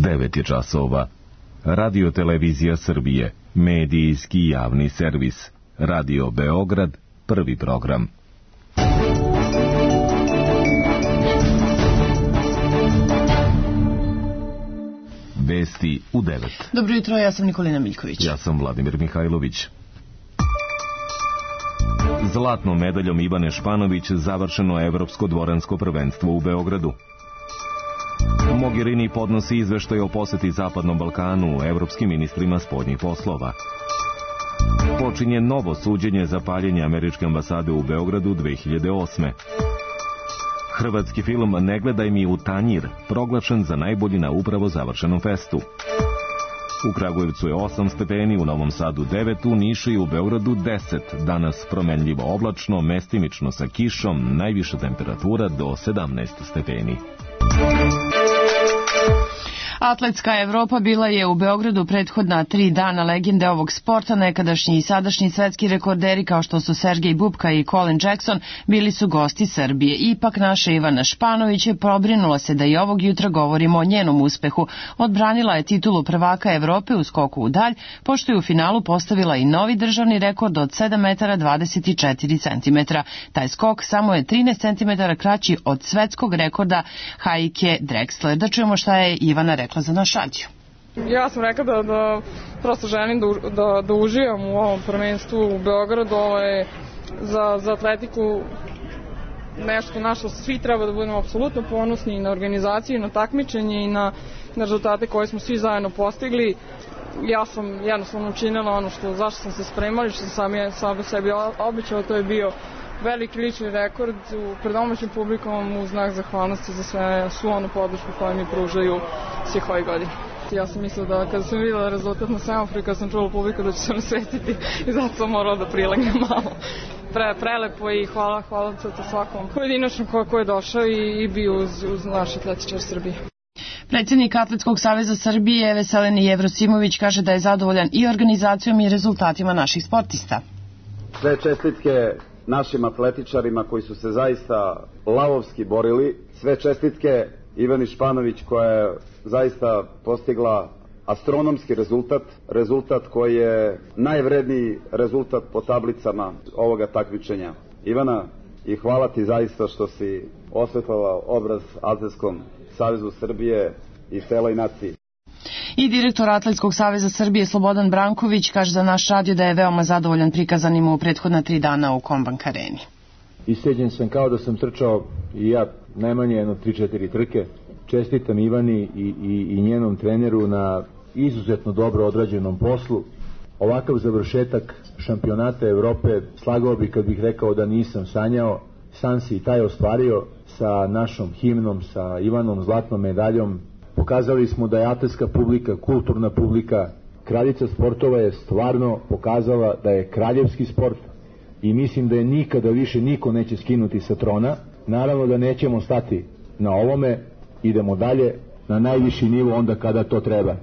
9 je časova. Radio Televizija Srbije, medijski javni servis. Radio Beograd, prvi program. Vesti u 9. Dobro jutro, ja sam Nikolina Miljković. Ja sam Vladimir Mihajlović. Zlatnom medaljom Ivane Španović završeno Evropsko dvoransko prvenstvo u Beogradu. Mogherini podnosi izveštaj o poseti Zapadnom Balkanu evropskim ministrima spoljnih poslova. Počinje novo suđenje za paljenje američke ambasade u Beogradu 2008. Hrvatski film Ne gledaj mi u tanjir proglašen za najbolji na upravo završenom festu. U Kragujevcu je 8 stepeni, u Novom Sadu 9, u Nišu i u Beogradu 10. Danas promenljivo oblačno, mestimično sa kišom, najviša temperatura do 17 stepeni. Atletska Evropa bila je u Beogradu prethodna 3 dana. Legende ovog sporta, nekadašnji i sadašnji svetski rekorderi kao što su Sergej Bubka i Colin Jackson, bili su gosti Srbije. Ipak naša Ivana Španović je pobrinula se da i ovog jutra govorimo o njenom uspehu. Odbranila je titulu prvaka Evrope u skoku u dalj, pošto je u finalu postavila i novi državni rekord od 7 metara 24 centimetra. Taj skok samo je 13 centimetara kraći od svetskog rekorda Heike Drexler. Da čujemo šta je Ivana rekla za naš radio. Ja sam rekla da prosto želim da uživam u ovom prvenstvu u Beogradu. Ovo je za atletiku nešto na što svi treba da budemo apsolutno ponosni, i na organizaciju, i na takmičenje, i na rezultate koje smo svi zajedno postigli. Ja sam jednostavno učinila ono zašto sam se spremala i što sam sam sebi obećala. To je bio veliki lični rekord pred domaćim publikom u znak zahvalnosti za svu onu podršku koju mi pružaju svih ovih godina. Ja sam mislila da kada sam videla rezultat na semaforu, kada sam čula publiku da će se nasvetiti, i zato sam morala da prilegnem malo. Prelepo i hvala svakom pojedinačnom ko je došao i bio uz naš atletičar Srbije. Predsjednik Atletskog saveza Srbije Veselin Jevrosimović kaže da je zadovoljan i organizacijom i rezultatima naših sportista. Sve čestitke našim atletičarima koji su se zaista lavovski borili. Sve čestitke Ivani Španović koja je zaista postigla astronomski rezultat koji je najvredniji rezultat po tablicama ovoga takmičenja. Ivana, i hvala ti zaista što si osvetlala obraz Atletskom savezu Srbije i celoj naciji. I direktor Atletskog saveza Srbije Slobodan Branković kaže za naš radio da je veoma zadovoljan prikazanim u prethodna 3 dana u Kombank areni. Isceđen sam kao da sam trčao i ja najmanje jedno 3-4 trke. Čestitam Ivani i njenom treneru na izuzetno dobro odrađenom poslu. Ovakav završetak šampionata Evrope slagao bi kad bih rekao da nisam sanjao. San si i taj ostvario sa našom himnom, sa Ivanom zlatnom medaljom. Pokazali smo da je atletska publika, kulturna publika, kraljica sportova je stvarno pokazala da je kraljevski sport i mislim da je nikada više niko neće skinuti sa trona. Naravno da nećemo stati na ovome, idemo dalje na najviši nivo onda kada to treba.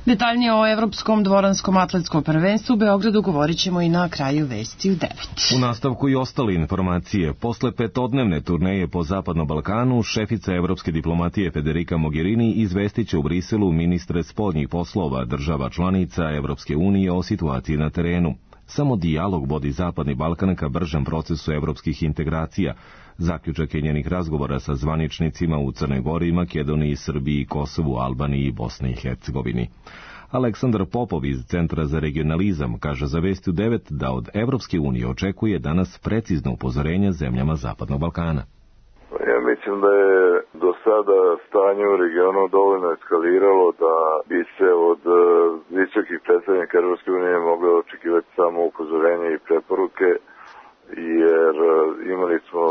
Detaljnije o Evropskom dvoranskom atletskom prvenstvu u Beogradu govorit ćemo i na kraju vesti u 9. U nastavku i ostale informacije. Posle 5-dnevne turneje po Zapadnom Balkanu, šefica evropske diplomatije Federica Mogherini izvestit će u Briselu ministre spoljnih poslova država članica Evropske unije o situaciji na terenu. Samo dijalog vodi Zapadni Balkan ka bržem procesu evropskih integracija. Zaključak je njenih razgovora sa zvaničnicima u Crnoj Gori, Makedoniji, Srbiji, Kosovu, Albaniji i Bosni i Hercegovini. Aleksandar Popov iz Centra za regionalizam kaže za Vesti u 9 da od Evropske unije očekuje danas precizno upozorenje zemljama Zapadnog Balkana. Ja mislim da je do sada stanje u regionu dovoljno eskaliralo da bi se od visokih predstavnika Evropske unije moglo očekivati samo upozorenje i preporuke, jer imali smo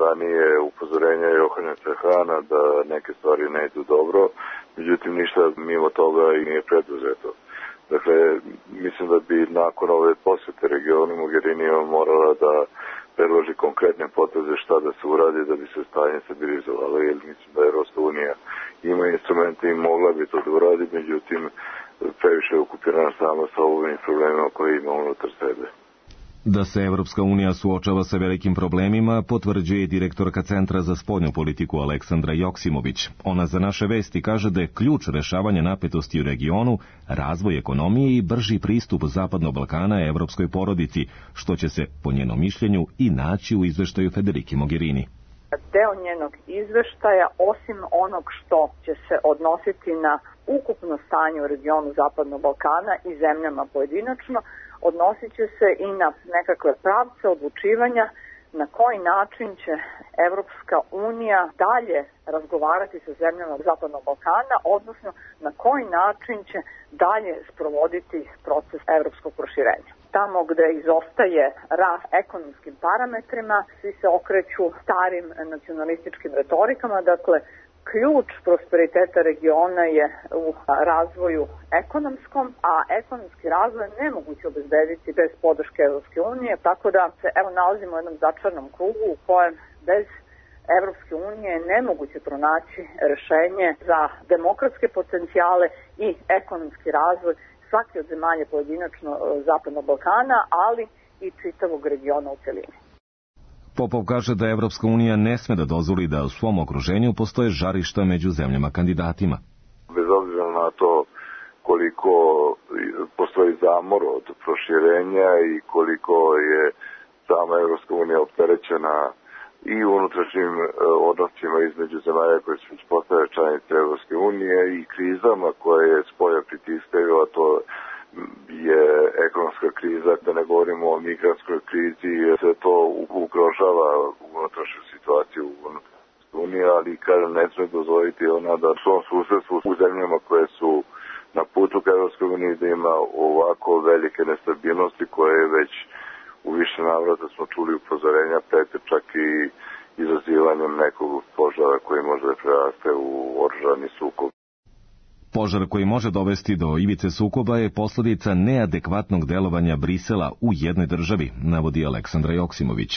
ranije upozorenja Johanesa Hana da neke stvari ne idu dobro, međutim ništa mimo toga i nije preduzeto. Dakle, mislim da bi nakon ove posete regionu Mogherini morala da predloži konkretne poteze šta da se uradi da bi se stanje stabilizovalo, jer mislim da Evropska unija ima instrumente i mogla bi to da uradi, međutim previše je okupirana sama sa ovim problemima koje ima unutar sebe. Da se Evropska unija suočava sa velikim problemima, potvrđuje direktorka Centra za spoljnu politiku Aleksandra Joksimović. Ona za naše vesti kaže da je ključ rešavanja napetosti u regionu razvoj ekonomije i brži pristup Zapadnog Balkana evropskoj porodici, što će se, po njenom mišljenju, i naći u izveštaju Federike Mogherini. Deo njenog izveštaja, osim onog što će se odnositi na ukupno stanje u regionu Zapadnog Balkana i zemljama pojedinačno, odnosit će se i na nekakve pravce odlučivanja na koji način će Evropska unija dalje razgovarati sa zemljama Zapadnog Balkana, odnosno na koji način će dalje sprovoditi proces evropskog proširenja. Tamo gde izostaje rast ekonomskim parametrima, svi se okreću starim nacionalističkim retorikama, dakle, ključ prosperiteta regiona je u razvoju ekonomskom, a ekonomski razvoj nemoguće obezbediti bez podrške Evropske unije, tako da se nalazimo u jednom začarnom krugu u kojem bez Evropske unije je nemoguće pronaći rešenje za demokratske potencijale i ekonomski razvoj svake od zemalja pojedinačno Zapadnog Balkana, ali i čitavog regiona u celini. Popov kaže da Evropska unija ne sme da dozvoli da u svom okruženju postoje žarišta među zemljama kandidatima. Bez obzira na to koliko postoji zamor od proširenja i koliko je sama Evropska unija opterećena i unutrašnjim odnosima između zemalja koje su postale članice Evropske unije i krizama koje spolja pritiskaju, a to je ekonomska kriza, da ne govorimo o migrantskoj krizi, se to ugrožava unutrašnju situaciju u Uniji, ali kažem, ne sme dozvoliti ona da u svom susedstvu u zemljama koje su na putu ka Evropskoj uniji da ima ovako velike nestabilnosti koje već u više navrata smo čuli upozorenja, prete čak i izazivanjem nekog požara koji može da preraste u oružani sukob. Požar koji može dovesti do ivice sukoba je posljedica neadekvatnog delovanja Brisela u jednoj državi, navodi Aleksandra Joksimović.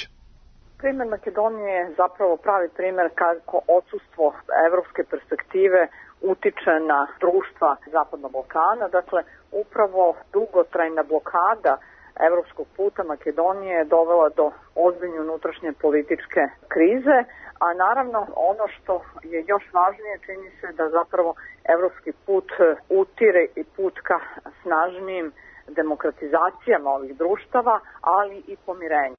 Primer Makedonije je zapravo pravi primer kako odsustvo evropske perspektive utiče na društva Zapadnog Balkana. Dakle, upravo dugotrajna blokada evropskog puta Makedonije je dovela do ozbiljne unutrašnje političke krize, a naravno ono što je još važnije čini se da zapravo evropski put utire i put ka snažnijim demokratizacijama ovih društava, ali i pomirenju.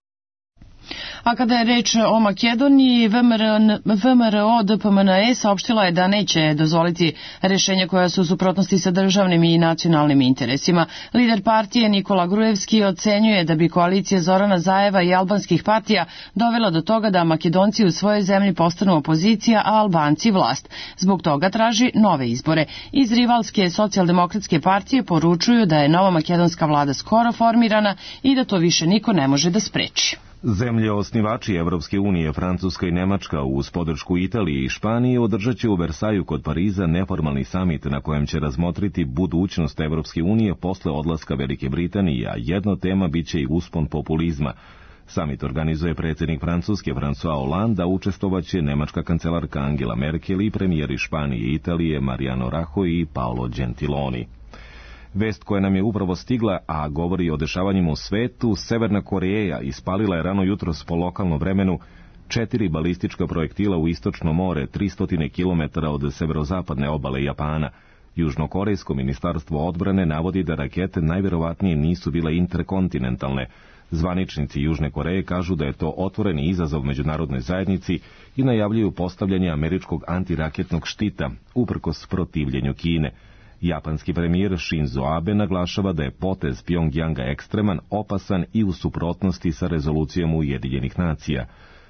A kada je reč o Makedoniji, VMRO DPMNE saopštila je da neće dozvoliti rešenja koja su u suprotnosti sa državnim i nacionalnim interesima. Lider partije Nikola Grujevski ocenjuje da bi koalicija Zorana Zajeva i albanskih partija dovela do toga da Makedonci u svojoj zemlji postanu opozicija, a Albanci vlast. Zbog toga traži nove izbore. Iz rivalske socijaldemokratske partije poručuju da je nova makedonska vlada skoro formirana i da to više niko ne može da spreči. Zemlje osnivači Evropske unije, Francuska i Nemačka uz podršku Italije i Španije održat će u Versaju kod Pariza neformalni samit na kojem će razmotriti budućnost Evropske unije posle odlaska Velike Britanije, a jedna tema biće i uspon populizma. Samit organizuje predsjednik Francuske François Hollande, a učestvovaće nemačka kancelarka Angela Merkel i premijeri Španije i Italije Mariano Rajoy i Paolo Gentiloni. Vest koja nam je upravo stigla, a govori o dešavanjima u svetu, Severna Koreja ispalila je rano jutros po lokalnom vremenu 4 balistička projektila u istočno more, 300 km od severozapadne obale Japana. Južnokorejsko ministarstvo odbrane navodi da rakete najverovatnije nisu bile interkontinentalne. Zvaničnici Južne Koreje kažu da je to otvoreni izazov međunarodnoj zajednici i najavljuju postavljanje američkog antiraketnog štita, uprkos protivljenju Kine. Japanski premijer Shinzo Abe naglašava da je potez Pjongjanga ekstreman, opasan i u suprotnosti sa rezolucijom Ujedinjenih nacija.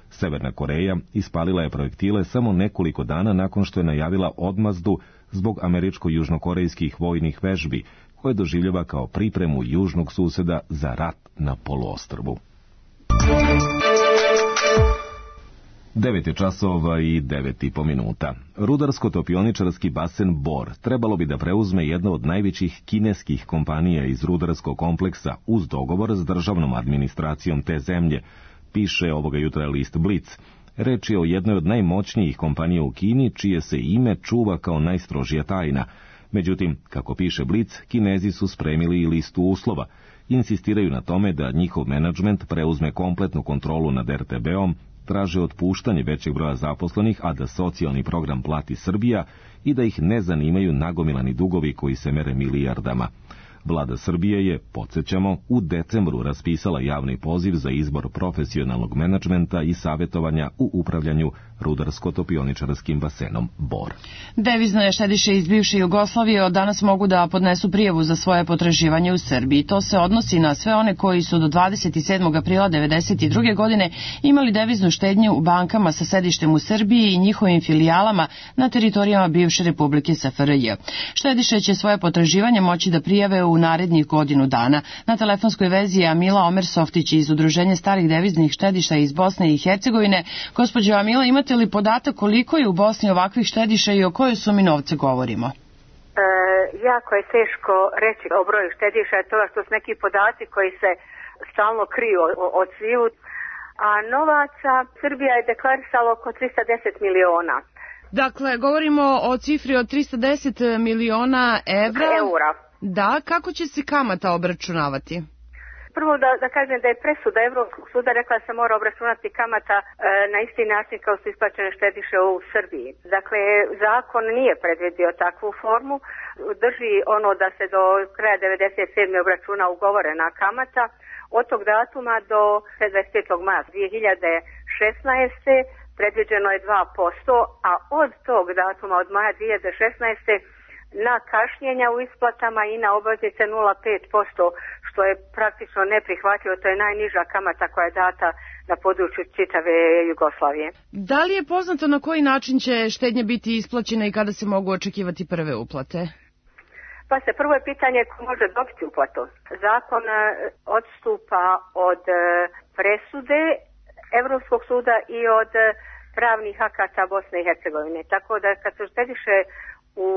Severna Koreja ispalila je projektile samo nekoliko dana nakon što je najavila odmazdu zbog američko-južnokorejskih vojnih vežbi, koje doživljava kao pripremu južnog suseda za rat na poluostrvu. 9 časova i 9,5 minuta. Rudarsko-topioničarski basen Bor trebalo bi da preuzme jedna od najvećih kineskih kompanija iz rudarskog kompleksa uz dogovor s državnom administracijom te zemlje, piše ovoga jutra list Blic. Reč je o jednoj od najmoćnijih kompanija u Kini, čije se ime čuva kao najstrožija tajna. Međutim, kako piše Blic, Kinezi su spremili i listu uslova. insistiraju na tome da njihov menadžment preuzme kompletnu kontrolu nad RTB-om, traže otpuštanje većeg broja zaposlenih, a da socijalni program plati Srbija i da ih ne zanimaju nagomilani dugovi koji se mere milijardama. Vlada Srbije je, podsjećamo, u decembru raspisala javni poziv za izbor profesionalnog menadžmenta i savjetovanja u upravljanju rudarsko-topioničarskim basenom Bor. Devizne štediše iz bivše Jugoslavije od danas mogu da podnesu prijavu za svoje potraživanje u Srbiji. To se odnosi na sve one koji su do 27. aprila 1992. godine imali deviznu štednju u bankama sa sedištem u Srbiji i njihovim filijalama na teritorijama bivše Republike SFRJ. Štediše će svoje potraživanje moći da prijave u narednih godinu dana. Na telefonskoj vezi je Amila Omersoftić iz Udruženja starih deviznih štediša iz Bosne i Hercegovine. Gospođo Amila, imate li podatak koliko je u Bosni ovakvih štediša i o kojoj sumi novca govorimo? Jako je teško reći o broju štediša, to što su neki podaci koji se stalno kriju od sviju, a novaca Srbija je deklarisala oko 310 miliona. Dakle, govorimo o cifri od 310 miliona eura. Da, kako će se kamata obračunavati? Prvo da kažem da je presuda Evropskog suda rekla da se mora obračunati kamata na isti način kao su isplaćene štediše u Srbiji. Dakle, zakon nije predvidio takvu formu, drži ono da se do kraja 1997. obračuna ugovorena kamata, od tog datuma do 25. maja 2016. predviđeno je 2%, a od tog datuma od maja 2016. na kašnjenja u isplatama i na obveznice 0,5%, što je praktično neprihvatljivo, to je najniža kamata koja je data na području čitave Jugoslavije. Da li je poznato na koji način će štednja biti isplaćena i kada se mogu očekivati prve uplate? Pa prvo je pitanje ko može dobiti uplatu. Zakon odstupa od presude Evropskog suda i od pravnih akata Bosne i Hercegovine. Tako da kad se štediše u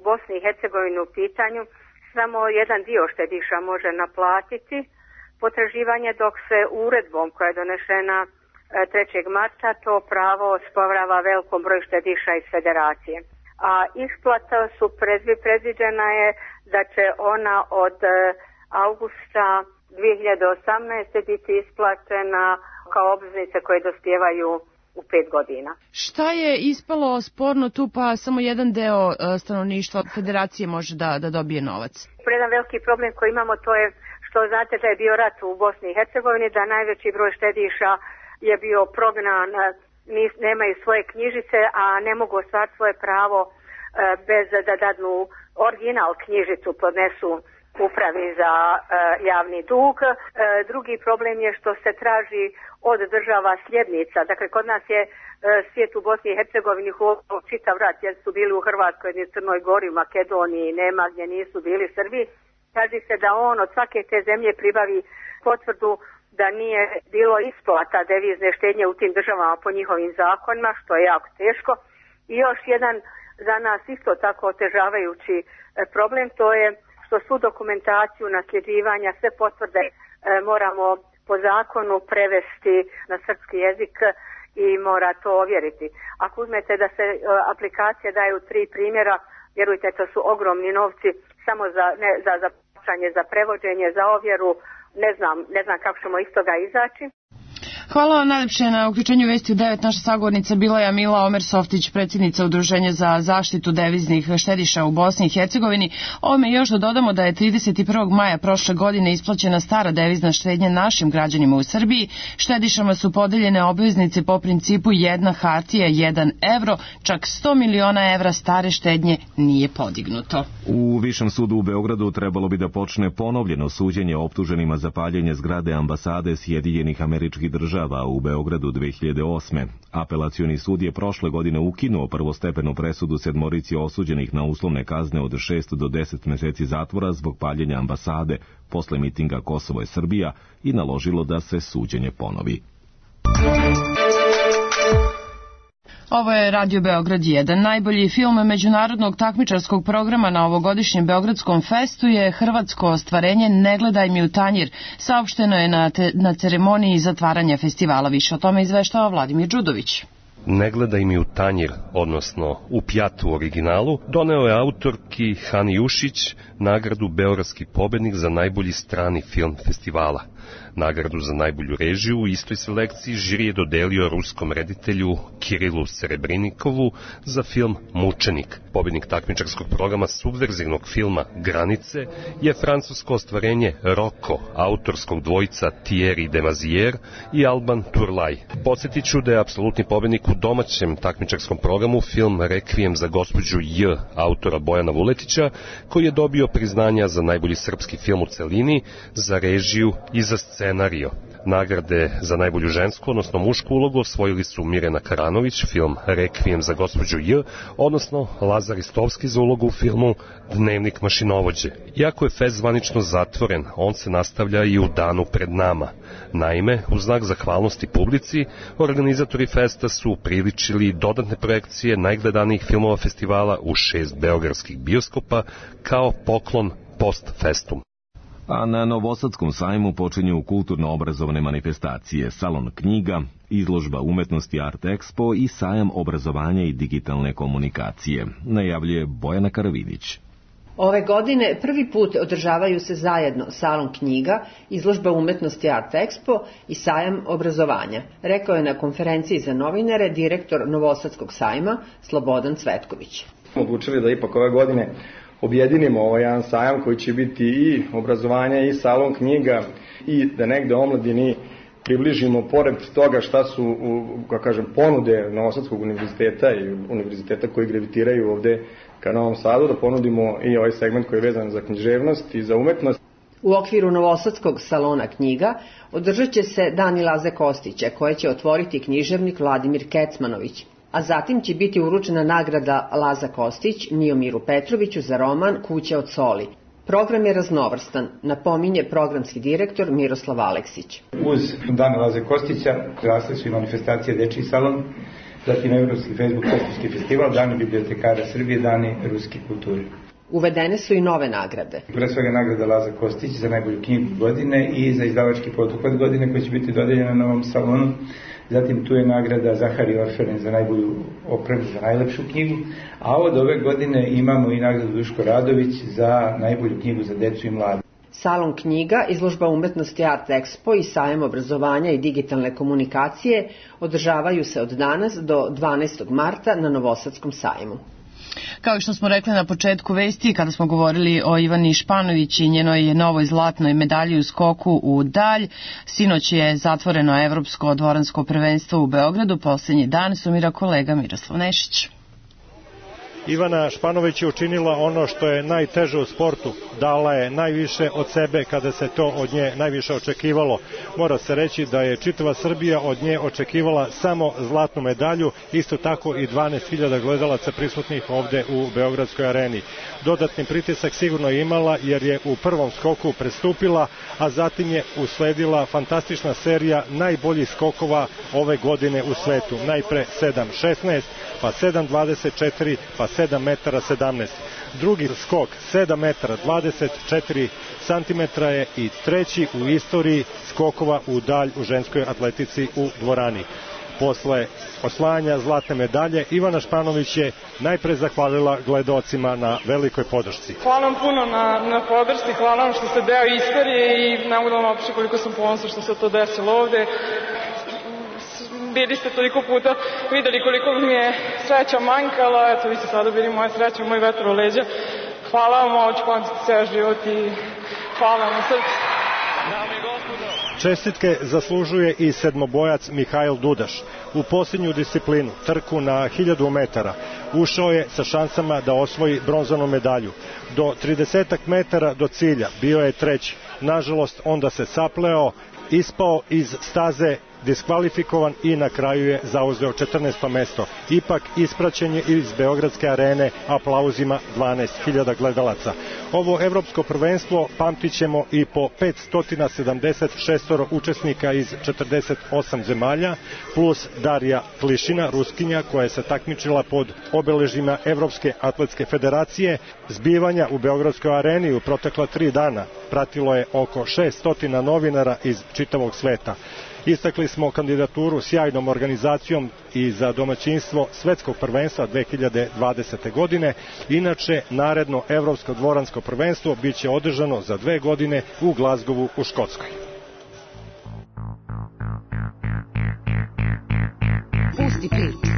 Bosni i Hercegovini u pitanju, samo jedan dio štediša može naplatiti potraživanje, dok se uredbom koja je donešena 3. marta to pravo osporava velikom broju štediša iz federacije. A isplata su predviđena je da će ona od augusta 2018. biti isplaćena kao obveznice koje dospijevaju u 5 godina. Šta je ispalo sporno tu, pa samo jedan deo stanovništva federacije može da dobije novac? Jedan veliki problem koji imamo to je što znate da je bio rat u Bosni i Hercegovini, da najveći broj štediša je bio prognan, nemaju svoje knjižice, a ne mogu ostvariti svoje pravo bez da dadnu original knjižicu, podnesu upravi za javni dug. Drugi problem je što se traži od država sljednica. Dakle, kod nas je svijet u Bosni i Hercegovini čitav rat, jer su bili u Hrvatskoj, u Crnoj Gori, u Makedoniji, nema gdje nisu bili Srbi. Kaže se da on od svake te zemlje pribavi potvrdu da nije bilo isplata devizne štednje u tim državama po njihovim zakonima, što je jako teško. I još jedan za nas isto tako otežavajući problem, to je što svu dokumentaciju nasljeđivanja, sve potvrde moramo po zakonu prevesti na srpski jezik i mora to ovjeriti. Ako uzmete da se aplikacije daju 3 primjera, vjerujte, to su ogromni novci samo za plaćanje, za prevođenje, za ovjeru, ne znam kako ćemo iz toga izaći. Hvala vam najlepše na uključenju Vesti u 9. Naša sagovornica bila je Amila Omersoftić, predsjednica Udruženja za zaštitu deviznih štediša u Bosni i Hercegovini. Ovome još da dodamo da je 31. maja prošle godine isplaćena stara devizna štednja našim građanima u Srbiji. Štedišama su podeljene obveznice po principu jedna hartija, 1 evro, čak 100 miliona evra stare štednje nije podignuto. U Višem sudu u Beogradu trebalo bi da počne ponovljeno suđenje optuženima za paljenje zgrade ambasade Sjedinjenih Američkih Država u Beogradu 2008. Apelacioni sud je prošle godine ukinuo prvostepenu presudu 7 osuđenih na uslovne kazne od 6 do 10 meseci zatvora zbog paljenja ambasade posle mitinga Kosovo je Srbija i naložilo da se suđenje ponovi. Ovo je Radio Beograd 1. Najbolji film međunarodnog takmičarskog programa na ovogodišnjem Beogradskom festu je hrvatsko ostvarenje Ne gledaj mi u tanjir. Saopšteno je na ceremoniji zatvaranja festivala. Više o tome izveštava Vladimir Đudović. Ne gledaj mi u tanjir, odnosno u pjatu u originalu, doneo je autorki Hani Jušić nagradu Beogradski pobednik za najbolji strani film festivala. Nagradu za najbolju režiju u istoj selekciji žiri je dodelio ruskom reditelju Kirilu Serebrinikovu za film Mučenik. Pobednik takmičarskog programa subverzivnog filma Granice je francusko ostvarenje Roko, autorskog dvojica Thierry Demazière i Alban Turlaj. Podsjetit ću da je apsolutni pobednik u domaćem takmičarskom programu film Rekvijem za gospođu J, autora Bojana Vuletića, koji je dobio priznanja za najbolji srpski film u celini, za režiju i za scenario. Nagrade za najbolju žensku, odnosno mušku ulogu osvojili su Mirjana Karanović, film Rekvijem za gospođu J, odnosno Lazar Istovski za ulogu u filmu Dnevnik mašinovođe. Iako je fest zvanično zatvoren, on se nastavlja i u danu pred nama. Naime, u znak zahvalnosti publici, organizatori festa su priličili dodatne projekcije najgledanijih filmova festivala u 6 beogradskih bioskopa kao poklon post-festum. A na Novosadskom sajmu počinju kulturno-obrazovne manifestacije, salon knjiga, izložba umetnosti Art Expo i sajam obrazovanja i digitalne komunikacije, najavljuje Bojana Karavidić. Ove godine prvi put održavaju se zajedno salon knjiga, izložba umetnosti Art Expo i sajam obrazovanja, rekao je na konferenciji za novinare direktor Novosadskog sajma Slobodan Cvetković. Odlučili da ipak ove godine objedinimo ovaj jedan sajam koji će biti i obrazovanje i salon knjiga i da negde omladini približimo pored toga šta su, ponude Novosadskog univerziteta i univerziteta koji gravitiraju ovde ka Novom Sadu, da ponudimo i ovaj segment koji je vezan za književnost i za umetnost. U okviru Novosadskog salona knjiga održat će se Dani Laze Kostića, koje će otvoriti književnik Vladimir Kecmanović, a zatim će biti uručena nagrada Laza Kostić Miomiru Petroviću za roman Kuća od soli. Program je raznovrstan, napominje programski direktor Miroslav Aleksić. Uz Dana Laze Kostića rasle su i manifestacije Dečiji salon, zatim Evropski Facebook Kostovski festival, Dani bibliotekara Srbije, Dani ruske kulture. Uvedene su i nove nagrade. Pre svega nagrada Laza Kostić za najbolju knjigu godine i za izdavački poduhvat godine koji će biti dodeljena na ovom salonu. Zatim tu je nagrada Zahari Orferen za najbolju opremu, za najlepšu knjigu, a od ove godine imamo i nagradu Duško Radović za najbolju knjigu za decu i mlade. Salon knjiga, izložba umetnosti Art Expo i sajam obrazovanja i digitalne komunikacije održavaju se od danas do 12. marta na Novosadskom sajmu. Kao što smo rekli na početku vesti, kada smo govorili o Ivani Španović i njenoj novoj zlatnoj medalji u skoku u dalj, sinoć je zatvoreno Evropsko dvoransko prvenstvo u Beogradu. Posljednji dan sumira kolega Miroslav Nešić. Ivana Španović je učinila ono što je najteže u sportu. Dala je najviše od sebe kada se to od nje najviše očekivalo. Mora se reći da je čitava Srbija od nje očekivala samo zlatnu medalju, isto tako i 12.000 gledalaca prisutnih ovde u Beogradskoj areni. Dodatni pritisak sigurno je imala jer je u prvom skoku prestupila, a zatim je usledila fantastična serija najboljih skokova ove godine u svetu. Najpre 7.16, pa 7.24, pa 7 metara 17. Drugi skok 7 metara 24 cm je i treći u istoriji skokova u dalj u ženskoj atletici u dvorani. Posle osvajanja zlatne medalje, Ivana Španović je najpre zahvalila gledaocima na velikoj podršci. Hvala vam puno na podršci, hvala vam što ste deo istorije i ne mogu da vam opišem koliko sam ponosna što se to desilo ovde. Bili ste toliko puta videli koliko mi je sreća manjkala, eto vi ste sada bili moja sreća, moj vetar u leđa. Hvala vam, ovo ću pamtiti ceo život i hvala vam na srcu. Čestitke zaslužuje i sedmobojac Mihajl Dudaš. U posljednju disciplinu, trku na 1000 metara, ušao je sa šansama da osvoji bronzanu medalju. Do 30 metara do cilja bio je treći. Nažalost, onda se sapleo, ispao iz staze, diskvalifikovan i na kraju je zauzeo 14. mesto. Ipak ispraćen je iz Beogradske arene aplauzima 12.000 gledalaca. Ovo evropsko prvenstvo pamtit ćemo i po 576 učesnika iz 48 zemalja, plus Darija Klišina, Ruskinja, koja se takmičila pod obeležima Evropske atletske federacije. Zbivanja u Beogradskoj areni u protekla 3 dana pratilo je oko 600 novinara iz čitavog sveta. Istakli smo kandidaturu sjajnom organizacijom i za domaćinstvo svetskog prvenstva 2020. godine. Inače, naredno Evropsko dvoransko prvenstvo biće održano za 2 godine u Glazgovu u Škotskoj. Pusti priču.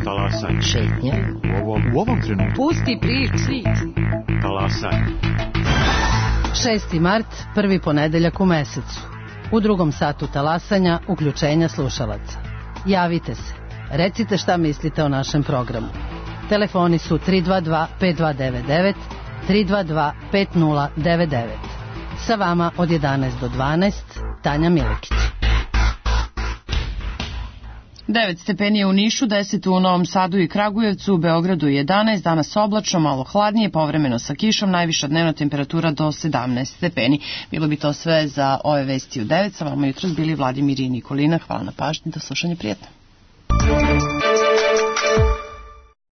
Talasaj. Šetnja. U ovom trenutku. Pusti priču. Talasaj. 6. mart, prvi ponedeljak u mesecu. U drugom satu talasanja, uključenja slušalaca. Javite se. Recite šta mislite o našem programu. Telefoni su 322-5299, 322-5099. Sa vama od 11 do 12, Tanja Milikić. 9 stepeni je u Nišu, 10 u Novom Sadu i Kragujevcu, u Beogradu 11, danas oblačno, malo hladnije, povremeno sa kišom, najviša dnevna temperatura do 17 stepeni. Bilo bi to sve za ove vesti u 9, sa vama jutros bili Vladimir i Nikolina. Hvala na pažnji, do slušanja, prijetno.